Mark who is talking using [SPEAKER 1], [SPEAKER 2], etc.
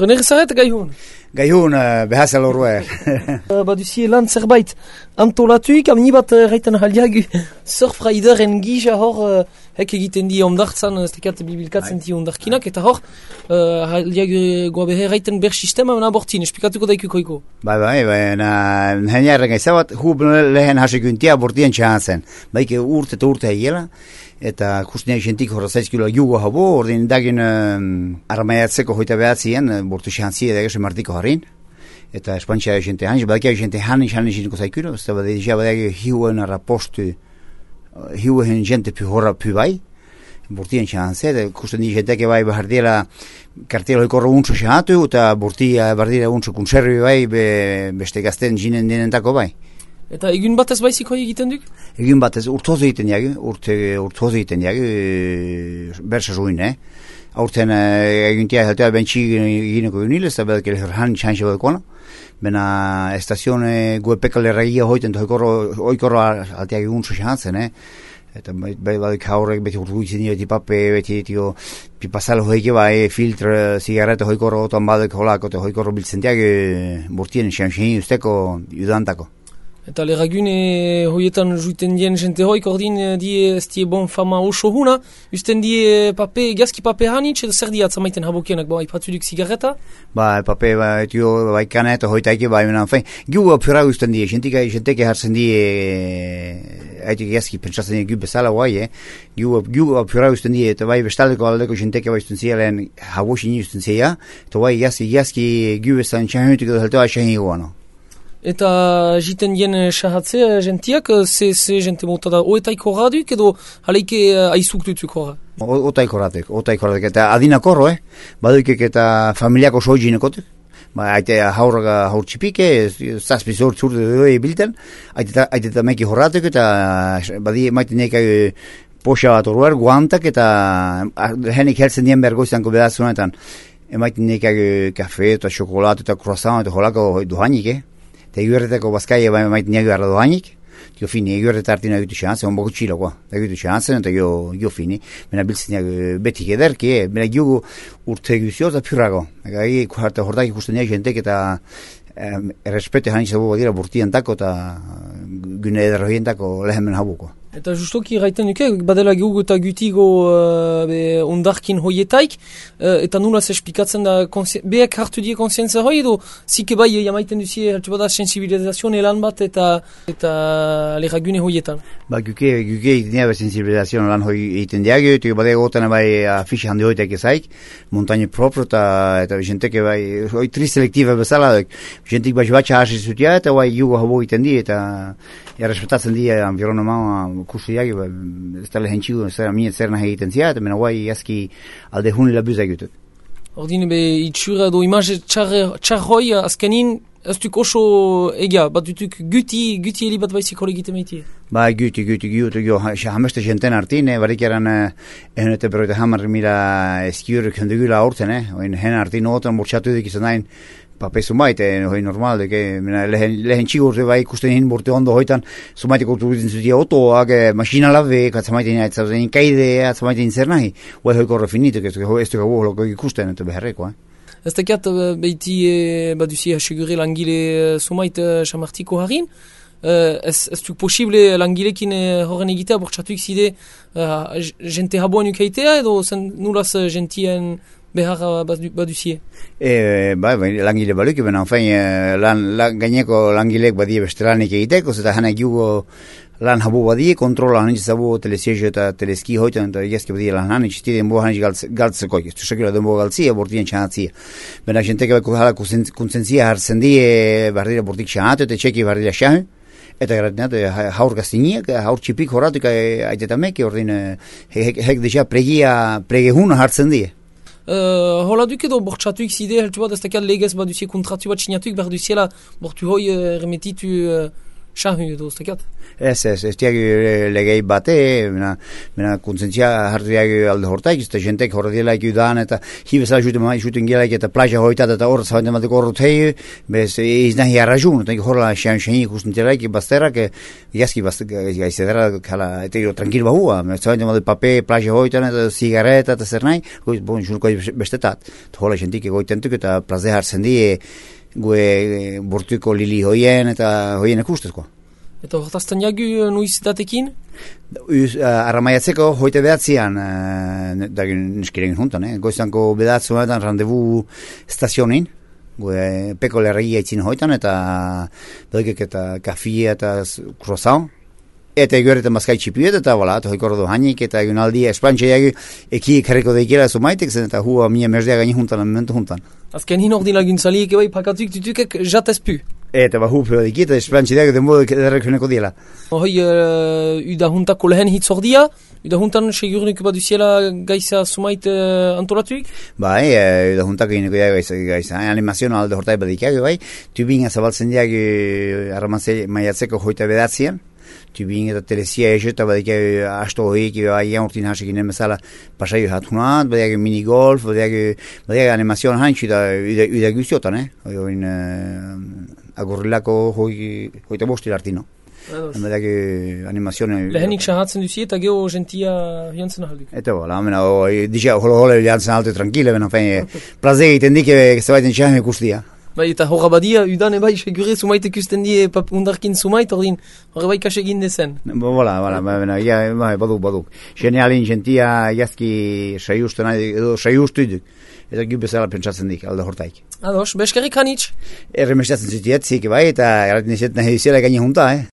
[SPEAKER 1] René Gezaret, gaihun?
[SPEAKER 2] Gaihun, behazal horreer.
[SPEAKER 1] Baduzie lan zerbait antolatuik, amni bat reiten haliagu surfrideren gija hor hek egiten di ondartzan, ez tekat bibilkatzen di ondarkinak, eta hor haliagu goabehe reiten ber sistema abortin, esplikatuko daikukoiko.
[SPEAKER 2] Bai, henjarren gaizabat, hub lehen hasekuntia abortien txahatzen. Baike urte hiela, eta kustinak jentik horra 6 kilo jugo habo, ordin dagin armaiatzeko hoita behatzien, bortu txahantzia dagese martiko harin. Eta espantxea jente hansi, badakia jente hanin jinko zaikuro, ez da badea badea hiuen arrapostu, hiuen jente pi horra pi bai, bortien txahantzea, kustinak jenteke bai bahardiela kartiela hoikorro untso txahatu, eta bortia bardira untso konservi bai, beste gazten jinen denentako bai.
[SPEAKER 1] Eta egun batez baizik hoi egiten duk?
[SPEAKER 2] Egun batez urtoz egiten jagi, urtoz egiten jagi, bersa zuin, Aurten eguntia heltea bentsi gineko egunile, ez da bedake lehorhan txanxe badakona. Bena estazione guepekale regia hoiten, oikorro alteak egun txahantzen, Eta badik haurrek beti urtuitzen dira, beti pape, beti pipazalo hoike bai, filtr, zigarreta hoikorro otan badak holako, eta hoikorro biltzen diak burtien txanxein usteko judantako.
[SPEAKER 1] Eta leragune hoietan juiten dien jente hoik ordin die ez die bon fama oso huna, usten die pape, gazki pape hanitz, edo zer diat zamaiten habokienak, bai patzuduk zigarreta?
[SPEAKER 2] Bai, pape, bai kaneta hoitaike, bai menan fein. Giu apura usten die, jenteke hartzen die, haitik gazki pentsatzen die gu bezala bai, Giu apura usten die, eta bai bestaldeko aldeko jenteke bai usten zia lehen habosin usten zia, eta bai gazki gu bezala txahunetik edo heltoa txahin guano.
[SPEAKER 1] Eta jiten dien sahatzea jentiak, ze jente mota da oetaiko raduk edo haleike aizuk dutuk horra?
[SPEAKER 2] Otaiko raduk, eta adinakorro, Badukek eta familiako soijinekotuk. Aite haur txipike, zazpi zurt bilten, aite eta meki horratuk, eta badi maite nekak poxa bat horrear, guantak, eta henik heltzen dien bergoizanko bedazunetan, emaite nekak kafe, eta xokolatu, eta croissant, eta holako duhanik, Eta eguerretako bazkai maiten niago arra dohanik, jo fini, eguerreta hartina egitu xehantzen, onboko txilokoa, egitu xehantzen, eta jo fini, bena biltzen niago betik ederki, bena giogu urte egizio eta pyrrago. Eta hortak ikusten niago jentek eta errespete hanitzabu badira burtientako eta gune ederrohientako lehemen habuko.
[SPEAKER 1] Eta justoki gaiten duke, badela gehugu eta gutigo ondarkin hoietaik, eta nulaz esplikatzen da, behak hartu die konsientzia hoi edo, zike bai jamaiten duzie, hartu bada sensibilizazioan elan bat eta leragune hoietan.
[SPEAKER 2] Guke itenea ber sensibilizazioan elan hoi egiten diagio, eta badea gotan bai afixe handi hoitek ezaik, montagne propro eta jenteke bai, hoi triselektiva bezala, jentik bai batxa hasi zutia, eta bai jugo habo egiten di, eta respetatzen di environnement kursiak, ez da lehen txigu, zer nahi egiten zia, eta mena guai azki alde hunila buzak jutuk.
[SPEAKER 1] Ordin, itxura edo imaz txar hoi azkenin, ez duk oso egia, bat dutuk guti heli bat baizik hori egiten meitie?
[SPEAKER 2] Guti, hameste jenten artin, barik eran ehunete beroita hamar mila eskiurek hendugula aurten, hen artin otan bortxatu dik izan dain, pape zumaite, hoi normal, lehen txigurte bai ikusten hin borte ondo hoitan, zumaite kulturitzen zutia otoak, masina labe, atzamaiten kaide, atzamaiten zer nahi, hoi hoi korre finituk, ez dugu holoko ikusten, eta beharreko,
[SPEAKER 1] Ez tekiat behiti baduzi hasegure langile zumait xamartiko harin, ez duk posible langilekin horren egitea bortxatuik zide jente haboan ukaitea edo nulaz jentien behar baduzie?
[SPEAKER 2] Langile baluk, ben gaineko langilek badie beste lanik egiteko, eta hana giugo lan habu badie, kontrola hanitz zabu telesiejo eta teleski hoitan, eta egezke badie lan hanitz, tiden bo hanitz galtzeko, ez du sekila den bo galtzia, bortien txanatzia. Bena jenteke beko hala konsentzia hartzen die, bardira bortik txanatu, eta txeki bardira xahu, eta garatinat, haur gaztiniak, haur txipik horratuk aitetamenki, ordin hek deja pregehuna hartzen die.
[SPEAKER 1] Hola duk edo bortxatuik zide, heltu bat ez tekiat legez baduzie kontratu bat sinatuik behar duziela bortu hoi remetitu Shahu edo ustekiat.
[SPEAKER 2] Ez diagu legei bate, mena kontzentzia hartu alde hortaik, eta jentek horre dielaik udan, eta hibezala juten gelaik, eta plaja hoitat, eta horret zabaten batek horret hei, bez iznahi arrajun, eta horrela xean ikusten dielaik, bazterak, jazki gaizedera, eta gero tranquil bahua, zabaten batek pape, plaja hoitan, eta zigareta, eta zer nahi, jurko bestetat, eta horrela jentik egoitentuk, eta plaze hartzen di, gue bortuko lili hoien, eta hoien ekustezkoa.
[SPEAKER 1] Eta hortazten jagu nuiz datekin?
[SPEAKER 2] Arramaiatzeko hoite behatzean, niskiren juntan, goizanko behatzean randevu stazionin, peko lerregia itzin hoitan, eta bedokek eta kafia eta croissant, eta egorretan bazkai txipiet, eta bola, eta hoikordo hanik, eta egun aldi espantxe jagu eki karriko daikela zumaitek, zen eta hua mia merzea gaini juntan, momentu juntan.
[SPEAKER 1] Azken hin ordin laguntzalik ebai pakatuk tutukek jatezpu.
[SPEAKER 2] Eta hupio dikita, espantxe dago denbo derrek huneko diela.
[SPEAKER 1] Hoi, uda juntako lehen hitz ordia, uda juntan segurnik baduziela gaisa zumait antolatuik?
[SPEAKER 2] Bai, uda juntako ineko dago gaisa, animazioa alde hortai badikago, bai, tubinga zabaltzen diago arramazei maiatzeko hoita bedatzean, tubinga eta telezia eta badikago asto hoik, aian urtin hasek inen bezala pasaio hatunat, badiago minigolf, badiago animazioa haintxu uda guztiotan, agurrilako hoita bostil artino. Badiago animazioa...
[SPEAKER 1] Lehenik sahatzen duzi eta geho gentia jantzen ahalduk.
[SPEAKER 2] Eta bola, dixea holo jantzen ahalte tranquile, plaze egiten dike zebaiten txahem ikustia.
[SPEAKER 1] Bai, eta horra badia, udan ebai segure sumait ikusten die undarkin sumait, ordin horre bai kasegin dezen.
[SPEAKER 2] Bola, baduk. Genialin gentia jazki saiustu iduk. Eta gu bezala pentsatzen dik, alde hortaik.
[SPEAKER 1] Ados, beskerrik hanitz?
[SPEAKER 2] Erremestatzen zutiet, zik bai, eta erraten izet nahi zela gaini junta,